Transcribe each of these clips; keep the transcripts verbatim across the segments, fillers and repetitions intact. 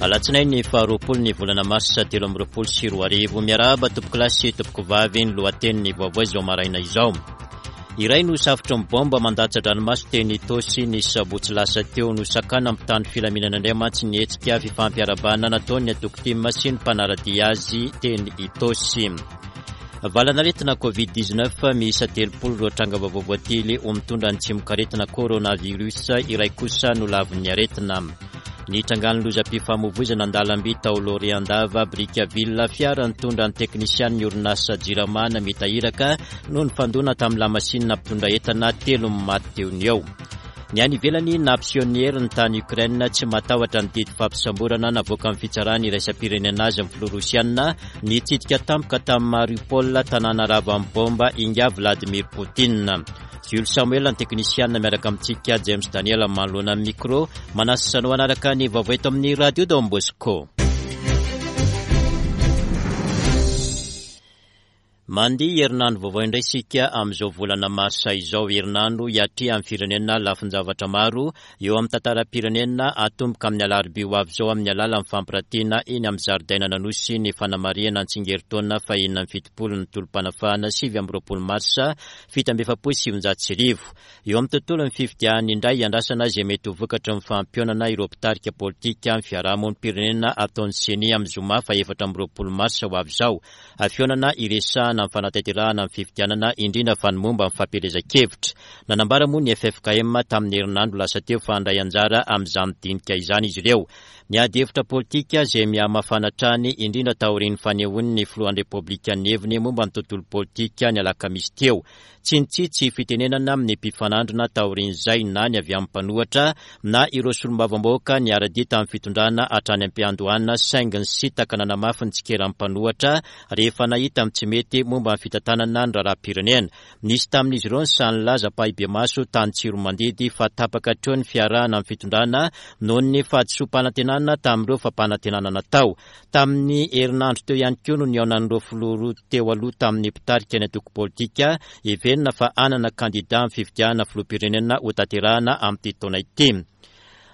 Alatsinainy faharoapolo ny volana marsa telo amby roapolo sy roa arivo. Miarahaba tompokolahy sy tompokovavy. Ny lohatenin'ny vaovao izao maraina izao: iray no safotry ny bomba mandatsa-dranomaso teny Itaosy ny sabotsy lasa teo. Nosakanan'ny mpitandro filaminana indray mantsy ny hetsika fifampiarahabana nataon'ny antoko TIM sy ny mpanara-dia azy teny Itaosy. Valan'aretina Covid dix-neuf miisa telopolo ireo tranga vaovao voatily ho mitondra ny tsimokaretina coronavirus, iray kosa no lavon'ny aretina. Ny trangan'ny lozam-pifamoivoizana an-dalamby tao Loriandava Brickaville, fiara nitondra ny teknisian'ny orinasa Jirama namita iraka no nifandona tamin'ny lamasinina mpitondra entana, telo maty teo ny eo. Ny any ivelany, nampiseho ny heriny tany Ukraine, tsy matahotra ny didy fampisamborana navoaka amin'ny fitsarana iraisam-pirenena azy amin'ny filoha rosiana. Nitsidika tampoka tamin'ny Mariupol, tanàna ravan'ny bomba, ingahy Vladimir Poutine. Jules Samuel ny teknisiana, miaraka amintsika James Daniel manoloana ny micro. Manasa anao hanaraka ny vaovao eto amin'ny Radio Don Bosco. Mandia herinandro vaovao indray isika amin'izao volana marsa izao, herinandro hiatrehan'ny firenena lafin-javatra maro eo amin'ny tantaram-pirenena. Atomboka amin'ny alarobia ho avy izao amin'ny alalan'ny fampiratiana eny amin'ny zaridainan'Anosy ny fanamarihana ny tsingerin-taona fahenina amby fitopolo ny tolom-panafahana sivy amby roapolo marsa fito amby efapolo sy sivinjato sy arivo. Eo amin'ny tontolon'ny fifidianana indray, andrasana izay mety ho vokatry ny fampionana ireo mpitarika politika amin'ny fiarahamonim-pirenena ataon'ny CENI amin'ny zoma faha efatra amby roapolo marsa ho avy izao. Fihaonana iresahana amin'ny fanatanterahana ny fifidianana, indrindra fa ny momba ny fampielezan-kevitra. Nanambara moa ny F F K M tamin'ny herinandro lasa teo fa handray anjara amin'izany dinika izany izy ireo. Ny ady hevitra politika izay mihamafana hatrany, indrindra taorian'ny fanehoan'ny filohan'ny Repoblika ny heviny momba ny tontolo politika ny alakamisy teo. Tsy nitsitsy fitenenana amin'ny mpifanandrina taorian'izay na ny avy amin'ny mpanohitra na ireo solombavambahoaka niara-dia tamin'ny fitondrana hatrany am-piandohana, saingy nisintaka nanamafy ny tsikeran'ny mpanohitra rehefa nahita amin'ny tsy mety momba ny fitantanana ny raharaham-pirenena. Nisy tamin'izy ireo ny sahy nilaza ampahibemaso tany Tsiromandidy fa tapaka hatreo ny fiarahana amin'ny fitondrana noho ny fahadisoam-panantenana tamin'ireo fampanantenana natao. Tamin'ny herinandro teo ihany koa no nihaonan'ireo filoha roa teo aloha tamin'ny mpitarika ny antoko politika heverina fa hanana kandida amin'ny fifidianana filoham-pirenena ho tanterahana amin'ity taona ity.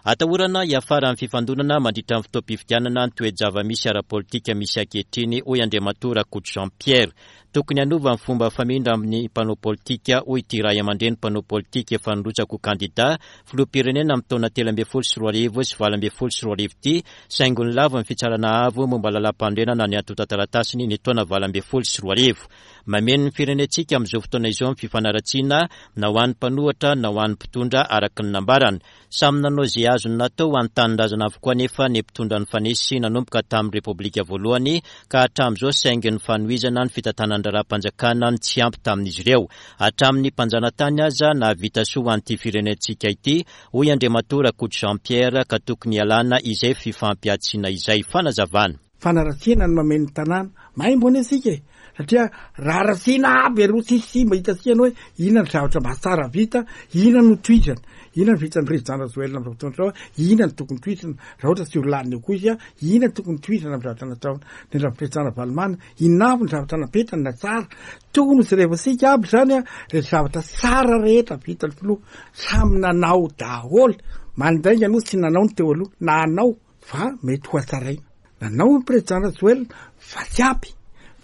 Atahorana hiafara amin'ny fifandonana mandritra ny fotoam-pifidianana ny toe-java-misy ara-politika misy ankehitriny, hoy Andriamatoa Rakoto Jean Pierre. Tokony hanova ny fomba famindra amin'ny mpanao politika, hoy ity ray aman-dreny mpanao politika efa nirotsaka ho kandida filoham-pirenena amin'ny taona telo ambin'ny folo sy roa arivo sy valo ambin'ny folo sy roa arivo ity, saingy nolava ny fitsarana avo momba lalàm-panorenana ny antontan-taratasiny ny taona valo ambin'ny folo sy roa arivo. Mameno ny firenentsika amin'izao fotoana izao ny fifanaratsiana, na ho an'ny mpanohitra na ho an'ny mpitondra, araka ny nambarany. Samy nanao izay azony natao ho an'ny tanindrazana avokoa nefa ny mpitondra nifanesy nanomboka tamin'ny Repoblika voalohany ka hatramin'izao, saingy ny fanohizana ny fitantanan-draharaham-panjakana ny tsy ampy tamin'izy ireo. Hatramin'ny mpanjanatany aza nahavita soa ho an'ity firenentsika ity, hoy Andriamatoa Rakoto Jean Pierre, ka tokony hialana izay fifampihantsiana izay. Fanazavana. Fanaratsiana ny mameno ny tanàna maimbo anie sika e, satria raha ratsiana aby aloha tsisy mba hitasihana hoe inona ny zavatra mba tsara vita, inona no tohizana, inona ny vitan'ny président Rajoelina am'izao fotoana zao, inona ny tokony tohizana raha ohatra tsy ho lany eo koa izy a, inona tokony tohizana amy zavatra nataony ny raha président Ravalomanana, inona avy ny zavatra napetrany na tsara. Tokony hojerevasika aby zany a le zavatra tsara rehetra vitany filoha. Samy nanao daholo, mandainga aloha tsy nanao ny teo aloha na anao fa mety ho atsaraina. Nanao ny président Rajoelina fa tsy ampy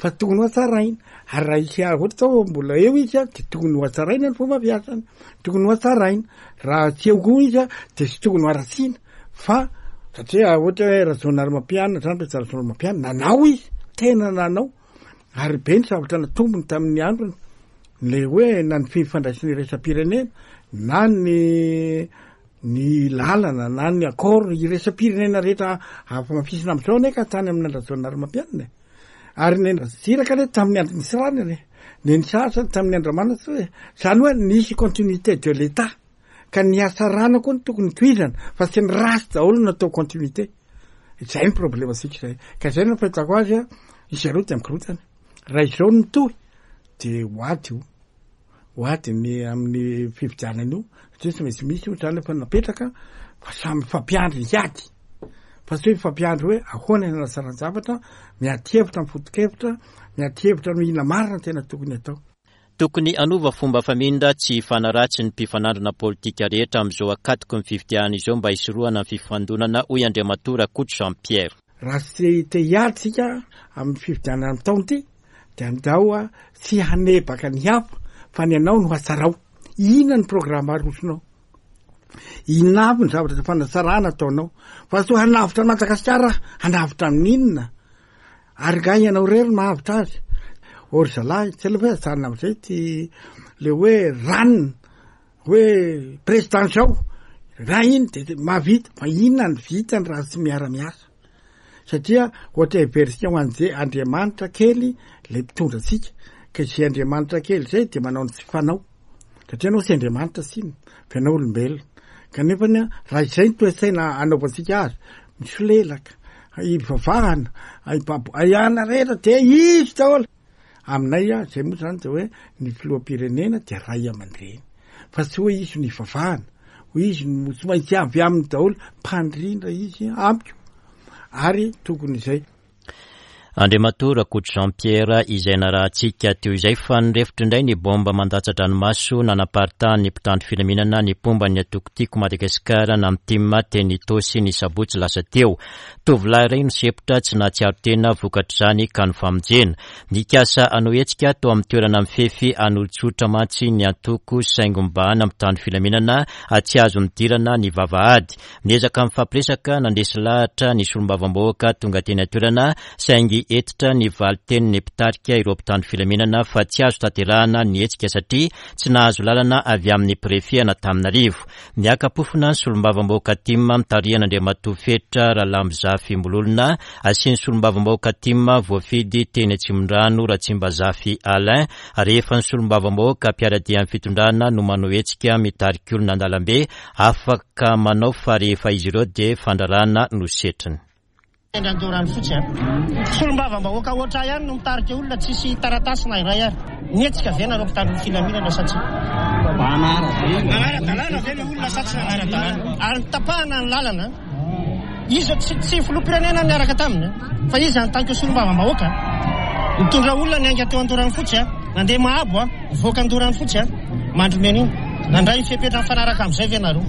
fa tokony ho atsaraina, ary raha isy ohatra zao mbola eo izy a de tokony ho atsaraina ny fomba fiasany, tokony ho atsaraina. Raha tsy eo koa izy a de tsy tokony ho aratsiana fa satria ohatra hoe Rajaonarimampianina zany, président Rajaonarimampianina nanao izy, tena nanao ary be ny zavatra natombony tamin'ny androny, le hoe na ny fifandraisany iraisam-pirenena na ny ny lalana na ny accord iraisam-pirenena rehetra afamafisina am'izao ane ka tany amin'ny an-dRajaonarimampianina e. Ary ny Ratsiraka le tamin'ny andro ny Tsiranana e, ny ny sasany tamin'ny andro-Ramanantsoa hoe zany hoe nisy continuité de l'État, ka ny asarana koa ny tokony tohizana fa tsy ny ratsy daholo natao continuité. Zay ny problème sika zay, ka zay no fahitako azy a izy aloha de mikorotana raha izao no mitohy de hoady io, hoady ny amin'ny fifidianana io, satria tsy maintsy misy io zany efa napetraka fa samy fampiandry hiady fa tsy hoe fampiandry hoe ahoana ny anasaran-javatra, miady hevitra, mifoto-kevitra, miady hevitra no ina marina tena tokony atao. Tokony hanova fomba famindra tsy hifanaratsy ny mpifanandrina politika rehetra amin'izao ankatoky ny fifidianana izao mba hisorohana ny fifandonana, hoy Andriamatoa Rakoto Jean Pierre. Raha tsy te hiady tsika amin'ny fifidianana amin'ny taona ity dia andao a tsy hanebaka ny hafa fa ny anao no hatsarao. Inona ny programa arosonao? Inona avy ny zavatra fanatsarana ataonao? Fa tsy hanavotra Madagasikara, hanavotra amin'inona? Ary nga ianao irery no mahavitra azy? Or zalahy, tsy aloha hoe ajanona amin'izay ty le hoe ranona, hoe président zao, raha iny de mahavita, fa inona ny vitany raha tsy miara-miasa? Satria ohatra heveritsika ho an'izay Andriamanitra kely le mpitondra antsika, ka izay Andriamanitra kely zay de manao ny tsy fanao. Satria anao tsy Andriamanitra tsinona, fa ianao olombelona. Kanefa ny raha izay ny toe-tsaina anaovantsika azy, misolelaka, ivavahana, aiana rehetra de izy daholo. Aminay a, zay moa zany de hoe ny filoham-pirenena de ray aman-dreny. Fa tsy hoe izy no ivavahana, hoe izy no tsy maintsy avy aminy daholo, mpandrindra izy amiko. Ary tokony izay. Andriamatoa Rakoto Jean Pierre izay narahantsika teo izay fa nirefotra indray ny bomba mandatsa-dranomaso nanaparitahan'ny mpitandro filaminana ny mpomba ny antoko Tiako Madagasikara na M T I M teny Itaosy ny sabotsy lasa teo. Tovolahy iray nisepotra tsy nahatsiaro tena vokatr'izany ka nifamonjena. Nikasa hanao hetsika tao amin'ny toerana mifefy an'olon-tsotra mantsy ny antoko saingy mibahana mpitandro filaminana tsy azo nidirana ny vavahady. Niezaka mifampiresaka nandresy lahatra ny solombavambahoaka tonga teny an-toerana saingy hentitra ny valitenin'ny mpitarika ireo mpitandro filaminana fa tsy azo tanterahana ny hetsika satria tsy nahazo lalana avy amin'ny préfet an'Antananarivo. Niaka-pofona ny solombavambahoaka T I M mitarihan' Andriamatoa Fetra Ralambozafy Mololona sy ny solombavambahoaka T I M voafidy teny Atsimondrano Ratsimbazafy Alain rehefa ny solombavambahoaka mpiara-dia amin'ny fitondrana no manao hetsika mitarika olona an-dalambe afaka manao fa rehefa izy ireo dia fandrarana no setriny. Andoharanofotsy a solombavambahoaka ohatra ihany no mitarika olona tsisy taratasy na iray ary nihetsika ve nareo mpitandro filaminana sa tsy nanara-dalàna ve le olona sa tsy nanara-dalàna ary nitapahana ny lalana izy tsy tsy filoham-pirenena niaraka taminy fa izy en tant que solombavambahoaka mitondra olona niainga teo Andoharanofotsy a nandeha Mahabo a voaka Andoharanofotsy a Mandrimena iny nandray fepetra mifanaraka am'izay ve nareo?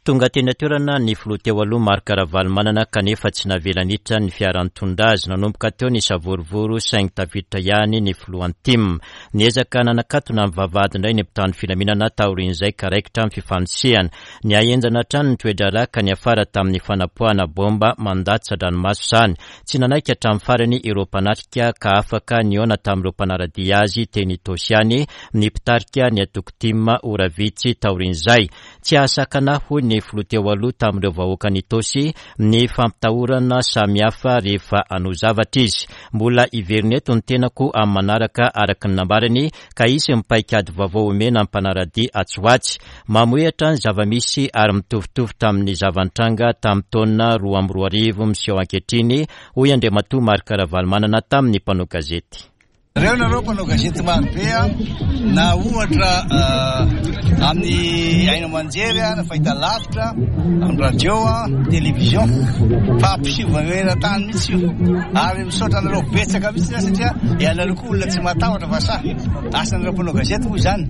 Tonga teny an-toerana ny filoha teo aloha Marc Ravalomanana kanefa tsy navela niditra ny fiara nitondra azy. Nanomboka teo ny savorovoro saingy tafiditra ihany ny filohan'ny T I M. Niezaka nanakatona ny vavahady indray ny mpitandro filaminana taorian'izay ka raikitra ny fifanosehana. Nihahenjana hatrany ny toe-draharaha ka niafara tamin'ny fanapoahana bomba mandatsa-dranomaso izany. Tsy nanaiky hatramin'ny farany ireo mpanatrika ka afaka nihaona tamin'ireo mpanara-dia azy teny Itaosy ihany ny mpitarika ny antoko T I M ora vitsy taorian'izay. Tsy ahasakana, hoy ny filoha teo aloha tamin'ireo vahoaka n'Itaosy, ny fampitahorana samihafa rehefa hanao zavatra izy. Mbola hiverina eto ny tenako amin'ny manaraka araka ny nambarany ka hisy ny paikady vaovao omena ny mpanara-dia atsy ho atsy. Mamohehatra ny zava-misy ary mitovitovy tamin'ny zava-nitranga tamin'ny taona roa amby roa arivo miseho ankehitriny, hoy Andriamatoa Marc Ravalomanana tamin'ny mpanao gazety. Reo nareo mpanao gazety marobe a na ohatra amin'ny haino aman-jery a na fahita lavitra amin'ny radio a télévision fa ampiseho eran-tany mihitsy io ary misaotra anareo betsaka mihitsy zany satria ianareo koa olona tsy matahotra fa sa asanareo mpanao gazety moa zany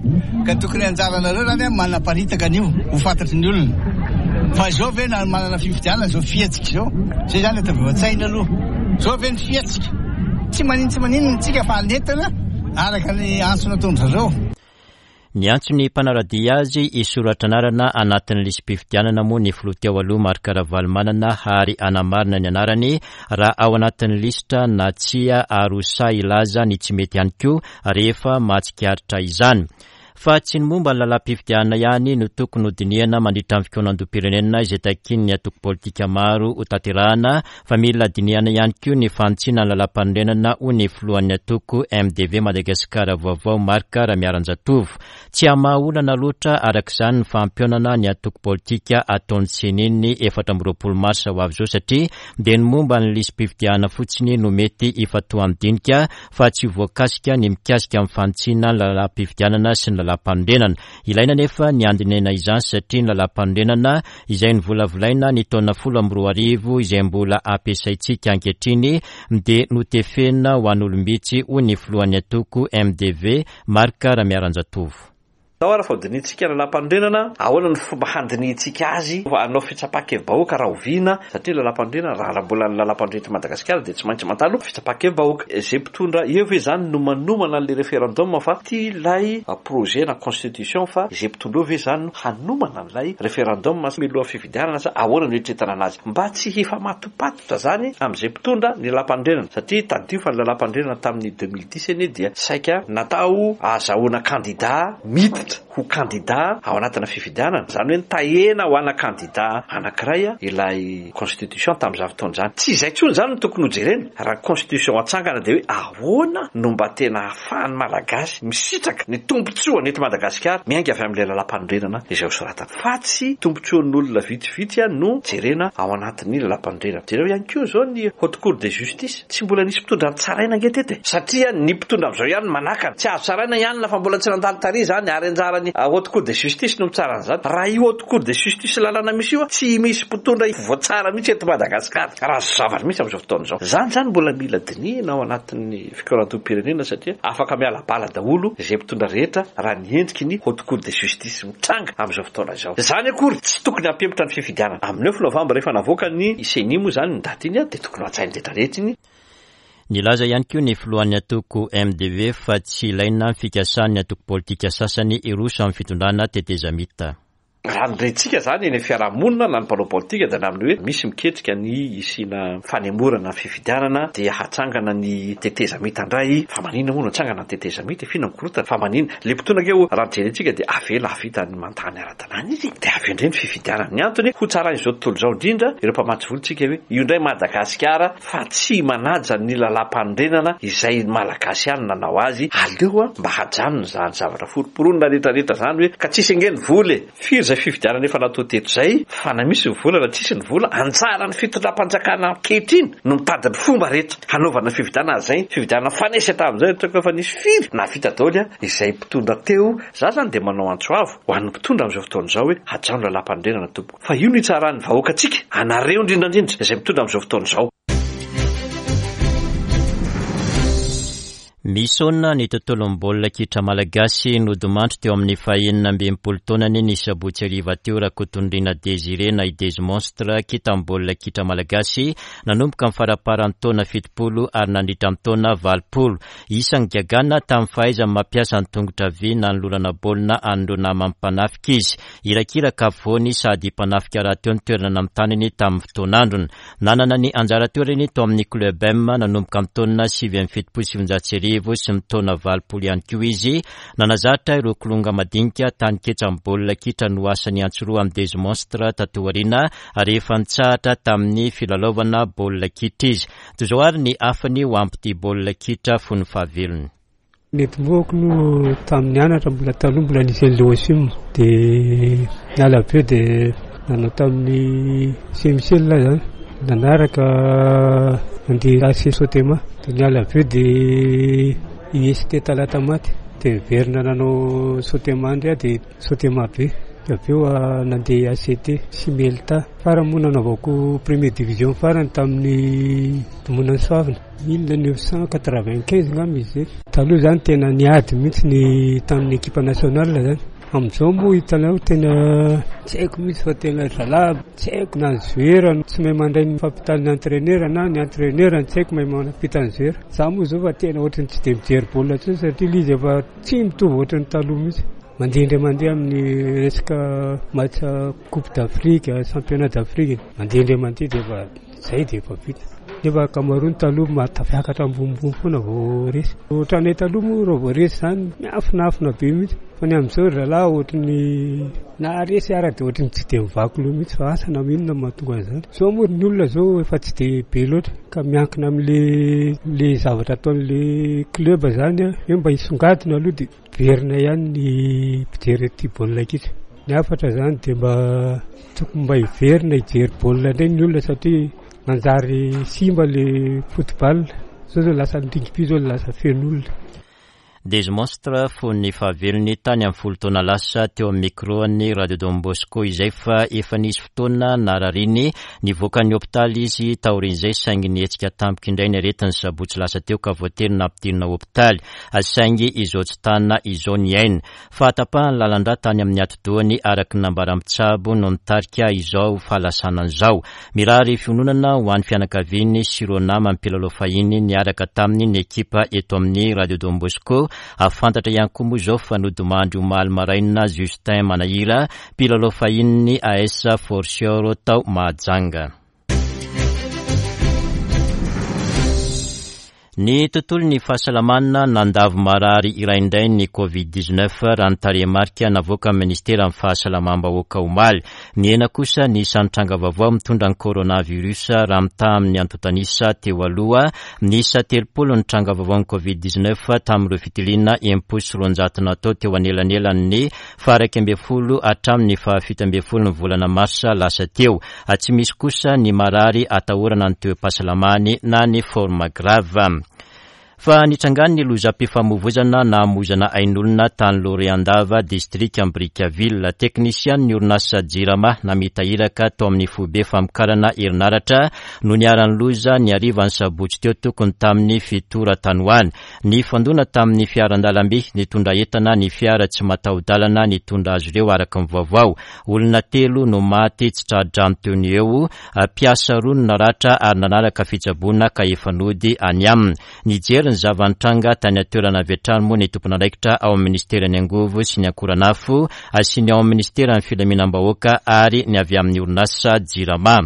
ka tokony anjaranareo zany a manaparitaka an'io ho fantatry ny olona fa zao ve na manana fifidianana zao fihetsika zao zay zany atao aloha zao ve ny fihetsika tsy manino tsy maninona tsika fa anetana araka ny antso nataon-dry zareo. Niantso ny mpanara-dia azy hisoratra anarana anatin'ny lisi-pifidianana moa ny filoha teo aloha Marc Ravalomanana ary hanamarina ny anarany raha ao anatin'ny lisitra na tsia ary ho sahy hilaza ny tsy mety ihany koa rehefa mahatsikaritra izany. Fa tsy ny momba ny lalam-pifidianana ihany no tokony hodinihana mandritra ny fikaonandoham-pirenena izay takian'ny antoko politika maro ho tanterahana fa mila dinihana ihany koa ny fanitsiana ny lalam-panorenana, hoy ny filohan'ny antoko M D V Madagasikara Vaovao Marc Ramiaranjatovo. Tsy hamaha olana loatra araka izany ny fampihaonana ny antoko politika ataon'ny C E N I ny efatra amby roapolo marsa ho avy izao satria dia ny momba ny lisi-pifidianana fotsiny no mety hifantohan'ny dinika fa tsy voakasika ny mikasika amin'ny fanitsiana ny lalam-pifidianana sy ny lalàmpanorenana. Ilaina nefa ny andinihana izany satria ny lalàmpanorenana izay novolavolaina ny taona folo amby roa arivo izay mbola ampiasaintsika ankehitriny dia notefena ho an'olom-bitsy, hoy ny filohan'ny antoko M D V Marc Ramiaranjatovo. Tao ary fa hodinihintsika lalàmpanorenana, ahoana ny fomba handinihintsika azy, hanao fitsapan-kevi-bahoaka rahoviana, satria lalàmpanorenana raha mbola ny lalàmpanorenana eto Madagasikara dia tsy maintsy mandalo fitsapan-kevi-bahoaka. Izay mpitondra eo ve zany no manomana an'ilay référendum fa ty ilay projet na constitution, fa izay mpitondra eo ve zany no hanomana an'ilay référendum mialohan'ny fifidianana sa ahoana no eritreretana anazy, mba tsy hifamatopatotra zany amin'izay mpitondra ny lalàmpanorenana, satria tadidio fa ny lalàmpanorenana tamin'ny deux mille dix anie dia saika natao ahazahoana kandida miditra ho kandida ao anatina fifidianana, zany hoe nitahena ho ana kandida anankiray ilay constitution tamin'izany fotoana izany. Tsy izay intsony zany no tokony hojerena. Raha constitution atsangana dia hoe ahoana no mba tena ahafahan'ny Malagasy misitraka ny tombontsoany eto Madagasikara miainga avy amin'ilay lalàmpanorenana izay hosoratana, fa tsy tombontsoan'olona vitsivitsy no jerena ao anatin'ny lalàmpanorenana. Jereo ihany koa izao ny haute cour de justice, tsy mbola nisy mpitondra nitsaraina ange teto e, satria ny mpitondra amin'izao ihany manakana, tsy azo tsaraina ihany na fa mbola tsy nandalo tary zany, ary anjarany haute cour de justice no mitsara an'izany. Raha io haute cour de justice lalàna misy io, tsy misy mpitondra voatsara mihitsy eto Madagasikara, raha zavatra mihitsy amin'izao fotoana izao. Zany zany mbola mila dinihina ao anatin'ny fikaonan-doham-pirenena, satria afaka miala bala daholo izay mpitondra rehetra raha ny endriky ny haute cour de justice mitranga amin'izao fotoana izao. Zany akory tsy tokony hampihemotra ny fifidianana. Amin'ny neuf novembre rehefa navoaka ny C E N I moa zany ny daty iny, dia tokony ho hatsain'ny rehetra rehetra iny. Nilaza ihany koa ny filohan'ny antoko M D V fa tsy ilaina ny fikasan'ny antoko politika sasany hiroso amin'ny fitondrana tetezamita. Raha ny rentsika zany eny amin'ny fiarahamonina na ny mpanao politika dia na amin'ny hoe misy miketrika ny hisiana fanemorana ny fifidianana dia hatsangana ny tetezamita indray. Fa maninona moa no hatsangana ny tetezamita? F'inona ny korontana? Fa maninona? Ilay mpitondra ange raha jerentsika dia avela hahavita ny mantany ara-dalàna izy, dia avy indray ny fifidianana. Ny antony ho tsarain'izao tontolo izao indrindra ireo mpamatsy vola tsika hoe io indray Madagasikara fa tsy manaja ny lalàmpanorenana izay Malagasy ihany nanao azy. Aleo mba hajanona izany zavatra foromporonina rehetrarehetra izany hoe ka tsisy ange ny vola e. Firy izay fifidianana efa natao teto izay, fa na misy ny vola na tsisy ny vola, anjaran'ny fitondram-panjakana ankehitriny no mitady ny fomba rehetra hanaovana ny fifidianana izay. Fifidianana fanesy hatramin'izay, ataoko efa nisy firy nahavita daholo izay mpitondra teo. Za zany dia manao antso avo ho an'ny mpitondra amin'izao fotoana izao hoe hajano lalàmpanorenana tompoko, fa io no hitsaran'ny vahoaka antsika, anareo indrindra indrindra izay mitondra amin'izao fotoana izao. Misaona ny tontolon'ny baolina kitra malagasy nodimandry teo amin'ny fahenina amby enimpolo taonany ny sabotsy hariva teo Rakotonirina Désiré na i Dezy Monstre, kintan'ny baolina kitra malagasy nanomboka ny faramparan'ny taona fitopolo ary nandritra ny taona valopolo. Isan'ny gagana tamin'ny fahaizany mampiasa ny tongotra havia nanolorana baolina an'ireo namany mpanafika izy. Irakiraka afovoany sady mpanafika rahateo ny toerana namitanany tamin'ny fotoan'androny. Nanana ny anjara toerany tao amin'ny Club M nanomboka ny taona sivy amby fitopolo sy sivinjato sy arivo sy ny taona valopolo ihany koa izy. Nanazatra ireo kilonga madinika tany ketsan'ny baolina kitra no asany antsiroa amin'ny Dezy Monstre tato aoriana rehefa nitsahatra tamin'ny filalaovana baolina kitra izy. Toy izao ary ny hafany ho ampy baolina kitra fony fahavelony. Netombohako no tamin'ny anatra mbola taloha mbola nisy an'ilay Osim, dia niala avy eo dia nanao tamin'ny Saint Michel zany, nanaraka nandeha A C Sotema, dia niala avy eo dia I S T Talatamaty, dia niverina nanao Sotema indray aho, dia Sotema be, dia avy eo nandeha A C T sy Melta. Farany moa nanaovako première division farany tamin'ny Domonan'ny Soavina mille neuf cent quatre-vingt-quinze angamba izy izay. Taloha zany tena niady mihitsy ny tamin'ny équipe nationale zany. Amin'izao moa hitanao tena tsy haiko mihitsy fa tena zalahy tsy haiko na ny joueur tsy mahay mandray ny fampitan'ny entraîneur na ny entraîneur tsy haiko mahay mampita ny joueur. Za moa izao fa tena ohatran'ny tsy dia mijery baolina intsony satria ilay izy efa tsy mitovy ohatran'ny taloha mihitsy. Mandeha indray mandeha amin'ny resaka match Coupe d'Afrique, championnat d'Afrique, mandeha indray mandeha dia efa zay dia efa vita. Nefa ankamaroany taloha mahatafiakatra ambonimbony foana vao resy. Ohatranay taloha moa raha vao resy zany miafinafina be mihitsy. Fa ny amin'izao ry zalahy ohatran'ny na resy ara dia ohatran'ny tsy dia mivaky loha mihitsy fa asa na inona no mahatonga an'izany. Izao moa ny olona izao efa tsy dia be loatra ka miankina amin'le le zavatra ataon'le club zany a, hoe mba hisongadina aloha dia verina ihany ny mpijery ity baolina kitra. Ny hafatra zany dia mba tokony mba hiverina hijery baolina indray ny olona satria manjary simba le football. Zao zao lasa ny rugby zao lasa feno olona. Des Monstres fony fahavelony tany amin'ny folo taona lasa teo amin'ny micro-n'ny Radio Don Bosco izay, fa efa nisy fotoana narariny nivoaka ny hopitaly izy taorian'izay, saingy nihetsika tampoka indray ny aretin'ny sabotsy lasa teo ka voatery nampidirina hopitaly, saingy izao tsy tana izao ny aina. Fahatapahan'ny lalan-drà tany amin'ny atidohany araka ny nambaran'ny mpitsabo no nitarika izao fahalasanana izao. Mirary fiononana ho an'ny fianakaviany sy ireo namany mpilalao fahiny niaraka tamin'ny ny ekipa eto amin'ny Radio Don Bosco. Fantatra ihany koa moa izao fa nodimandry omaly maraina Justin Manahira, mpilalao fahiny A S Fortior tao Mahajanga. Ny tontolo ny fahasalamana nandavo marary iray indray ny covid dix-neuf raha ny tarehimarika navoaka amin'ny ministeran'ny fahasalamam-bahoaka omaly. Nihena kosa ny isan'ny tranga vaovao mitondra ny coronavirus raha mitaha amin'ny antontanisa teo aloha. Niisa telopolo ny tranga vaovao ny covid dix-neuf tamin'ireo fitiliana enimpolo sy roanjato natao teo anelanelan'ny faha-iraika ambin'ny folo hatramin'ny fahafito ambin'ny folo ny volana marsa lasa teo. Tsy misy kosa ny marary atahorana ny toe-pahasalamany na ny forme grave. Fa nitrangany ny lozam-pifamoivoizana namoizana ain'olona tany Loreandava, distrika Brickaville. Teknisian ny orinasa Jirama namita iraka tao amin'ny foibe famokarana herinaratra no niharan'ny loza ny harivan'ny sabotsy teo tokony tamin'ny fito ora tany ho any. Nifandona tamin'ny fiaran-dalamby nitondra entana ny fiara tsy mataho-dalana nitondra azy ireo araka ny vaovao. Olona telo no maty tsy tra-drano teo no eo, mpiasa roa no naratra ary nanaraka fitsaboana ka efa nody any aminy. Nijery ny zava-nitranga tany an-toerana avy hatrany moa ny tompon'andraikitra ao amin'ny ministeran'ny angovo sy ny akoranafo sy ny ao amin'ny ministeran'ny filaminam-bahoaka ary ny avy amin'ny orinasa Jirama.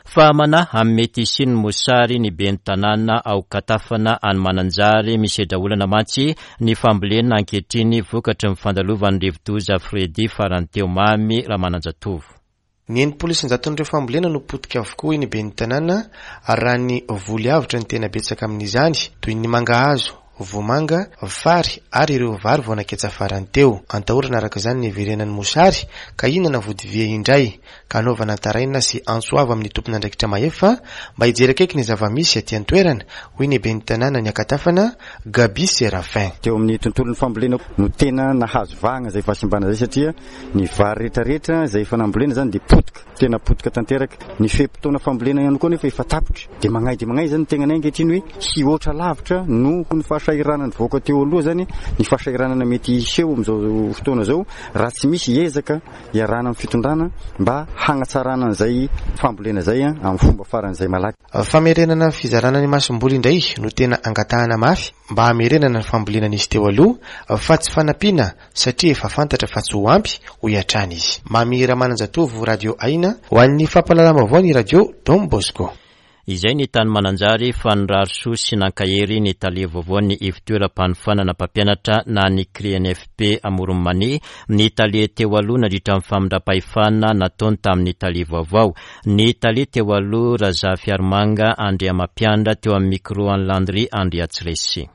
Fa manahy amin'ny mety hisian'ny mosary ny ben'ny tanàna ao Katafana any Mananjary. Misedra olana mantsy ny fambolena ankehitriny vokatry ny fandalovan'ny rivodoza Freddy farany teo. Mamy Ramananjatovo. Ny enimpolo isan-jaton'ireo fambolena no potika avokoa eny ben'ny tanàna, ary raha ny voly avotra ny tena betsaka amin'izany, toy ny mangahazo, vomanga, fary ary ireo vary vao naketsa farany teo. Antahorana araka izany ny hiverenan'ny mosary ka hihinana vodivia indray, ka hanaovana taraina sy antso avo amin'ny tompon'andraikitra mahefa mba hijery akaiky ny zava-misy aty an-toerana, hoy ny ben'ny tanàna ny Akatafana, Gaby Serafin. Teo amin'ny tontolon'ny fambolena no tena nahazo vahana izay fahasimbana izay, satria ny vary rehetrarehetra izay efa nambolena izany dia potika, tena potika tanteraka. Ny fe-potoana fambolena ihany koa nefa efa tapitra, dia magnay dia magnay izany ny tegnanay ankehitriny hoe hihoatra lavitra noho ny fahasahiranana nivoaka teo aloha izany ny fahasahiranana mety hiseho amin'izao fotoana izao raha tsy misy ezaka iarahana amin'ny fitondrana mba hagnatsarana an'izay fambolena izay amin'ny fomba faran'izay malaky. Famerenana fizarana ny masomboly indray no tena angatahana mafy mba hamerenana ny fambolena nisy teo aloha, fa tsy fanampiana satria efa fantatra fa tsy ho ampy, hoy hatrany izy. Mamy Ramananjatovo, Radio Aina, ho an'ny fampahalalam-baovao ny Radio Don Bosco. Izay ny tany Mananjary fa nirary soa sy nankahery ny tale vaovaon'ny ivon-toeram-panofanana mpampianatra na ny C R I N F P Amoron'i Mania, ny tale teo aloha nandritra ny famindram-pahefana nataony tamin'ny tale vaovao. Ny tale teo aloha Razafiarimanga Andriamampianatra teo amin'ny micro an'i Landry Andriatsiresy.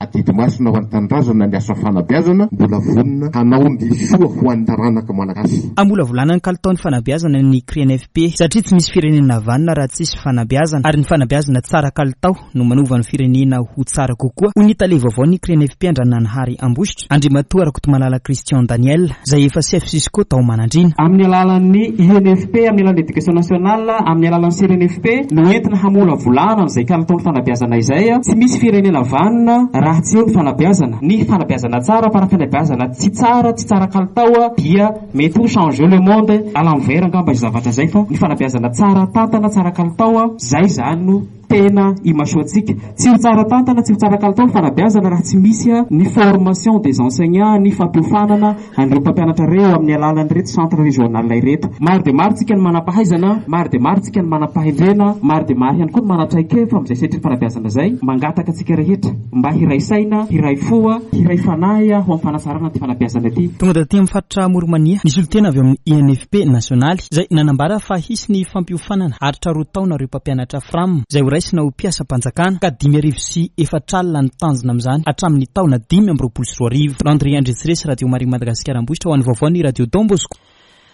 Adidy masina ho an'ny tanindrazana ny asa fanabeazana, mbola vonona hanao ny soa ho an'ny taranaka malagasy. Hamolavolana ny kalitaon'ny fanabeazana ny C R I N F P, satria tsy misy firenena vanona raha tsisy fanabeazana, ary ny fanabeazana tsara kalitao no manova ny firenena ho tsara kokoa, hoy ny tale vaovao ny C R I N F P Andrananahary Ambositra, Andriamatoa Rakotomalala Christian Daniel, izay efa chef Cisco tao Manandriana. Amin'ny alalan'ny I N F P, amin'ny alalan'ny éducation nationale, amin'ny alalan'ny C R I N F P no entina hamolavolana an'izay kalitaon'ny fanabeazana izay. Tsy misy firenena vanona raha tsy eo ny fanabeazana. Ny fanabeazana tsara fa raha fanabeazana tsy tsara, tsy tsara kalitao dia mety ho changer le monde à l'envers angamba izay zavatra izay, fa ny fanabeazana tsara tantana, tsara kalitao, izay izany no tena imasoantsika. Tsy ho tsara tantana, tsy ho tsara kalitao ny fanabeazana raha tsy misy ny formation des enseignants, ny fampiofanana an'ireo mpampianatra ireo amin'ny alalan'ireto centre régional ireto. Maro dia maro tsika ny manam-pahaizana, maro dia maro tsika ny manam-pahendrena, maro dia maro ihany koa ny manan-traikefa amin'izay sehatry ny fanabeazana izay. Mangataka antsika rehetra mba hiray saina, hiray fo, hiray fanahy ho amin'ny fanatsarana ity fanabeazana ity. Tonga taty amin'ny faritra Amoron'i Mania ny solontena avy amin'ny I N F P nasionaly izay nanambara fa hisy ny fampiofanana aritra roa taona ireo mpampianatra F R A M izay horaisina ho mpiasam-panjakana ka dimy arivo sy efatra alina ny tanjona amin'izany hatramin'ny taona dimy amby roapolo sy roa arivo. Landry Andriatsiresy, Radio Maria Madagasikara Ambositra, ho an'ny vaovao ny Radio Don Bosco.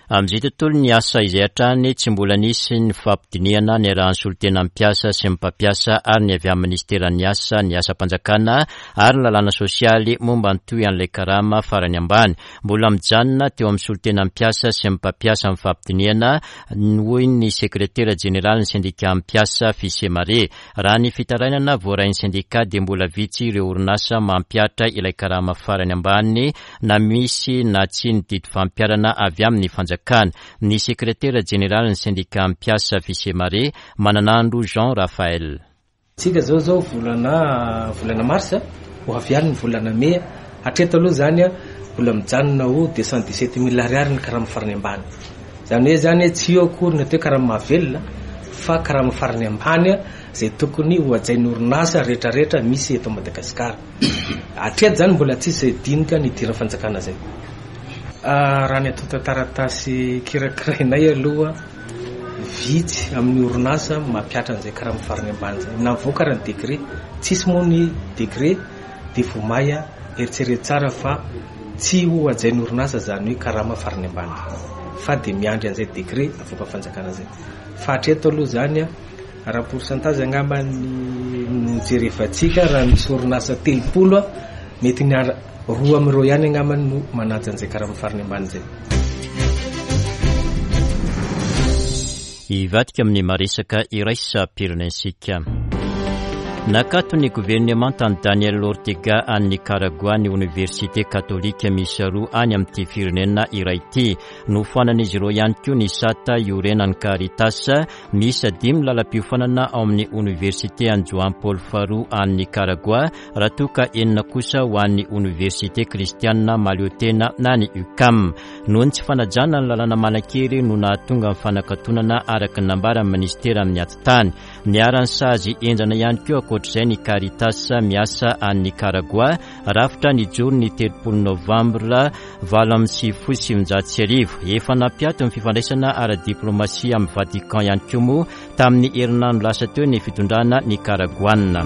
Amin'izay tontolo ny asa izay hatrany, tsy mbola nisy ny fampidinihana niarahan'ny solontena mpiasa sy ny mpampiasa ary ny avy amin'ny ministeran'ny asa, ny asam-panjakana ary ny lalàna sosialy momba ny toy an'ilay karama farany ambany. Mbola mijanona teo amin'ny solontena mpiasa sy ny mpampiasa amin'ny fampidinihana, hoy ny sekretera jeneralin'ny sendika mpiasa Fisemare. Raha ny fitarainana voarain'ny sendika dia mbola vitsy ireo orinasa mampihatra ilay karama farany ambany na misy na tsy ny didy fampiharana avy amin'ny fanjakana. Ny sekretera jeneralin'ny sendika mpiasa Fisemare, Mananandro Jean Raphaël. Tsika zao zao volana volana mars ho avy any ny volana mey, hatreto aloha zany mbola mijanona ho deux cent dix-sept mille ariary ny karama farany ambany. Zany hoe zany tsy eo akory ny atao hoe karama mahavelona fa karama farany ambany izay tokony ho hajain'ny orinasa rehetrarehetra misy eto Madagasikara. Hatreto zany mbola tsisy dinika ny idiran'ny fanjakana zay. Raha ny antontan-taratasy kirakirainay aloha, vitsy amin'ny orinasa mampihatra an'izay karama farany ambany zay. Na mivoaka raha ny décret, tsisy moa ny décret dia vao may eritrereto tsara fa tsy ho hajain'ny orinasa zany hoe karama farany ambany fa dia miandry an'izay décret avoaka fanjakana zay. Fa hatreto aloha zany raha pourcentage angamba ny no jerevantsika, raha misy orinasa telopolo mety ny roa amin'ireo ihany angamba no manaja an'izay karama farany ambany zay. Hivadika amin'ny maresaka iraisam-pirenentsika. Nakato ny governemantan'i Daniel Ortega any Nicaragua ny oniversite katolika miisa roa any amin'ity firenena iray ity. Nofoanan'izy ireo ihany koa ny sata iorenan'ny Caritas miisa dimy lalam-piofanana ao amin'ny oniversite an'i Juan Paul faharoa any Nicaragua, raha toa ka enina kosa ho an'ny oniversite kristianina mahaleotena na ny U C A M. Noho ny tsy fanajana ny lalàna manan-kery no nahatonga ny fanakatonana araka ny nambaran'ny ministera amin'ny atitany. Niharan'ny sazy henjana ihany koa ankoatr'izay ny Caritas miasa any Nicaragua, rafitra nijoro ny telopolo novambra valo amby sivifolo sy sivinjato sy arivo. Efa nampiato ny fifandraisana ara-diplomasia amin'ny Vatican ihany koa moa tamin'ny herinandro lasa teo ny fitondrana Nicaraguana.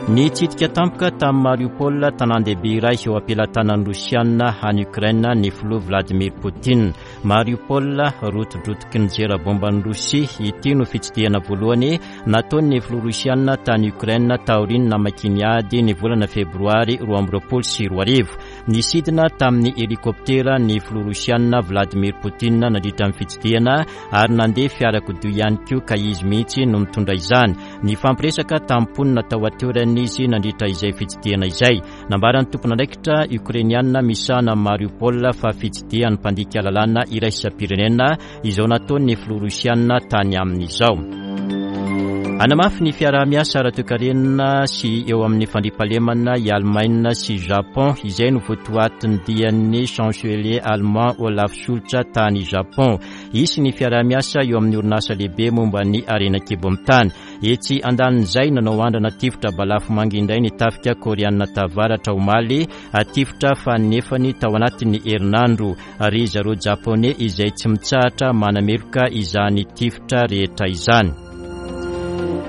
Nitsidika tampoka tamin'i Mariupol, tanàn-dehibe iray eo am-pelatanan'ny Rosiana any Ukraine, ny filoha Vladimir Poutine. Mariupol, rotidrotiky ny zera bomban'i Rosia, ity no fitsidihana voalohany nataon'ny filoha Rosiana tany Ukraine taorian'ny namakiany ady ny volana febroary roa amby roapolo sy roa arivo. Nisidina tamin'ny helikoptera ny filoha Rosiana Vladimir Poutine nandritra ny fitsidihana ary nandeha fiarakodia ihany koa ka izy mihitsy no mitondra izany. Nifampiresaka tamin'ny mponina tao an-toerana izy nandritra izay fitsidihana izay. Nambaran'ny tompon'andraikitra Ukrainiana misahana Mariupol fa fitsidihan'ny mpandika lalàna iraisam-pirenena izao nataon'ny filoha Rosiana tany amin'izao. Hanamafy ny fiaraha-miasa ara-toekarena sy eo amin'ny fandriampahalemana i Allemagne sy Japon, izay no votoatin'ny dian'ny chancelier allemand Olaf Scholz tany Japon. Hisy ny fiaraha-miasa eo amin'ny orinasa lehibe momba ny harena an-kibon'ny tany. Etsy andanin'izay, nanao andrana tifitra balafomanga indray ny tafika Koreana Tavaratra omaly, tifitra faninefany tao anatin'ny herinandro. Ry zareo Japoney izay tsy mitsahatra manameloka izany tifitra rehetra izany.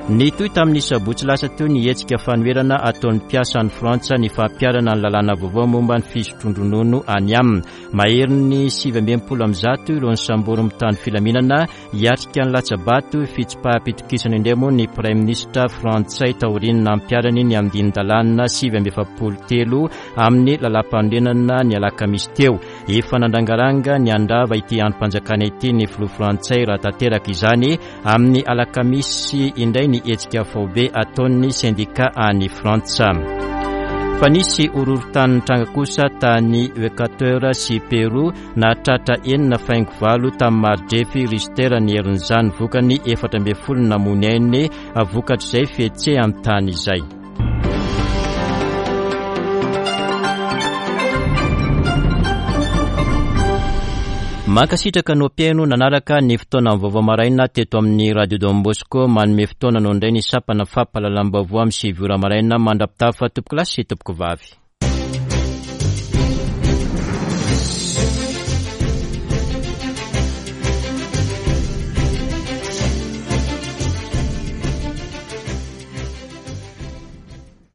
Nitohy tamin'ny sabotsy lasa teo ny hetsika fanoherana ataon'ny mpiasan'ny Frantsa ny fampiharana ny lalàna vaovao momba ny fisotroan-dronono any aminy. Maherin'ny sivy amby enimpolo amby zato ireo nisambory mitandro filaminana hiatrika ny latsa-bato fitsipaham-pitokisana indray moa ny praiminisitra frantsay taorian'ny nampiharany ny andinin-dalàna sivy amby efapolo telo amin'ny lalàm-panorenana ny alakamisy teo. Efa nandrangaranga ny handrava ity andrim-panjakana ity ny filoha frantsay raha tanteraka izany amin'ny alakamisy indray ny hetsika faobe ataon'ny sendika any Frantsa. Fa nisy horohorontany nitranga kosa tany Equateur sy Peru, nahatratra enina faingo valo tamin'ny mari-drefy Richter ny herin'izany, vokany efatra ambin'ny folo namoy ainy vokatr'izay fihetseham-tany izay. Mankasitraka no mpihaino nanaraka ny fotoana vaovao maraina teto amin'ny Radio Don Bosco. Manome fotoana no indray ny sampana fampahalalam-baovao amin'ny sivy ora maraina. Mandra-pitafa tompoko lahy sy tompoko vavy.